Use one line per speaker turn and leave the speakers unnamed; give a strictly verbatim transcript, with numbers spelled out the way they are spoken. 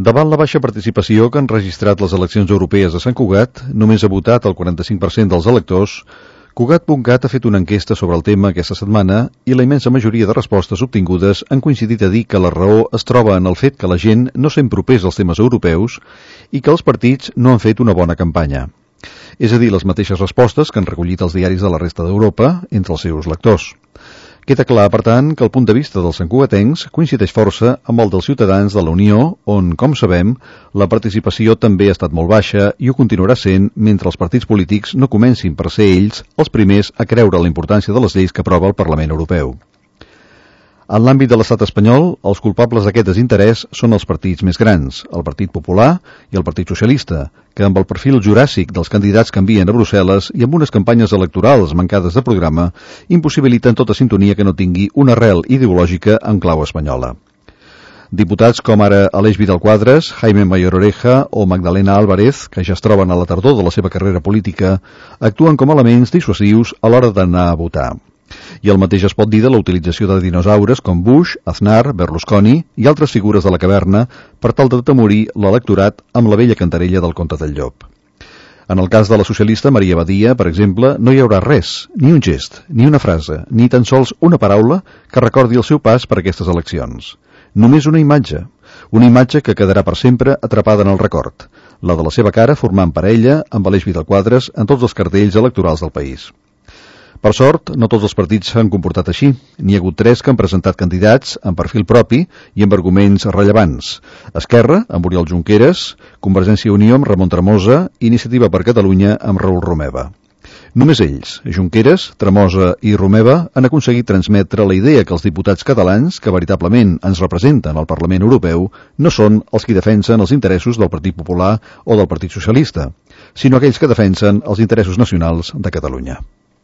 Davant la baixa participació que han registrat les eleccions europees a Sant Cugat, només ha votat el quaranta-cinc per cent dels electors. Cugat punt cat ha fet una enquesta sobre el tema aquesta setmana i la immensa majoria de respostes obtingudes han coincidit a dir que la raó es troba en el fet que la gent no sent propers als temes europeus i que els partits no han fet una bona campanya. És a dir, les mateixes respostes que han recollit els diaris de la resta d'Europa entre els seus lectors. Queda clar, per tant, que el punt de vista dels santcugatencs coincideix força amb el dels ciutadans de la Unió, on, com sabem, la participació també ha estat molt baixa i ho continuarà sent mentre els partits polítics no comencin per ser ells els primers a creure la importància de les lleis que aprova el Parlament Europeu. En l'àmbit de l'estat espanyol, els culpables d'aquest desinterès són els partits més grans, el Partit Popular i el Partit Socialista, que amb el perfil juràssic dels candidats que envien a Brussel·les i amb unes campanyes electorals mancades de programa, impossibiliten tota sintonia que no tingui una arrel ideològica en clau espanyola. Diputats com ara Aleix Vidal-Quadras, Jaime Mayor Oreja o Magdalena Álvarez, que ja es troben a la tardor de la seva carrera política, actuen com elements dissuasius a l'hora d'anar a votar. I el mateix es pot dir de la utilització de dinosaures com Bush, Aznar, Berlusconi i altres figures de la caverna per tal de temorir l'electorat amb la vella cantarella del conte del llop. En el cas de la socialista Maria Badia, per exemple, no hi haurà res, ni un gest, ni una frase, ni tan sols una paraula que recordi el seu pas per aquestes eleccions. Només una imatge, una imatge que quedarà per sempre atrapada en el record, la de la seva cara formant parella amb Aleix Vidal-Quadras en tots els cartells electorals del país. Per sort, no tots els partits s'han comportat així. N'hi ha hagut tres que han presentat candidats amb perfil propi i amb arguments rellevants. Esquerra, amb Oriol Junqueras, Convergència i Unió amb Ramon Tremosa i Iniciativa per Catalunya amb Raül Romeva. Només ells, Junqueras, Tremosa i Romeva, han aconseguit transmetre la idea que els diputats catalans, que veritablement ens representen al Parlament Europeu, no són els que defensen els interessos del Partit Popular o del Partit Socialista, sinó aquells que defensen els interessos nacionals de Catalunya.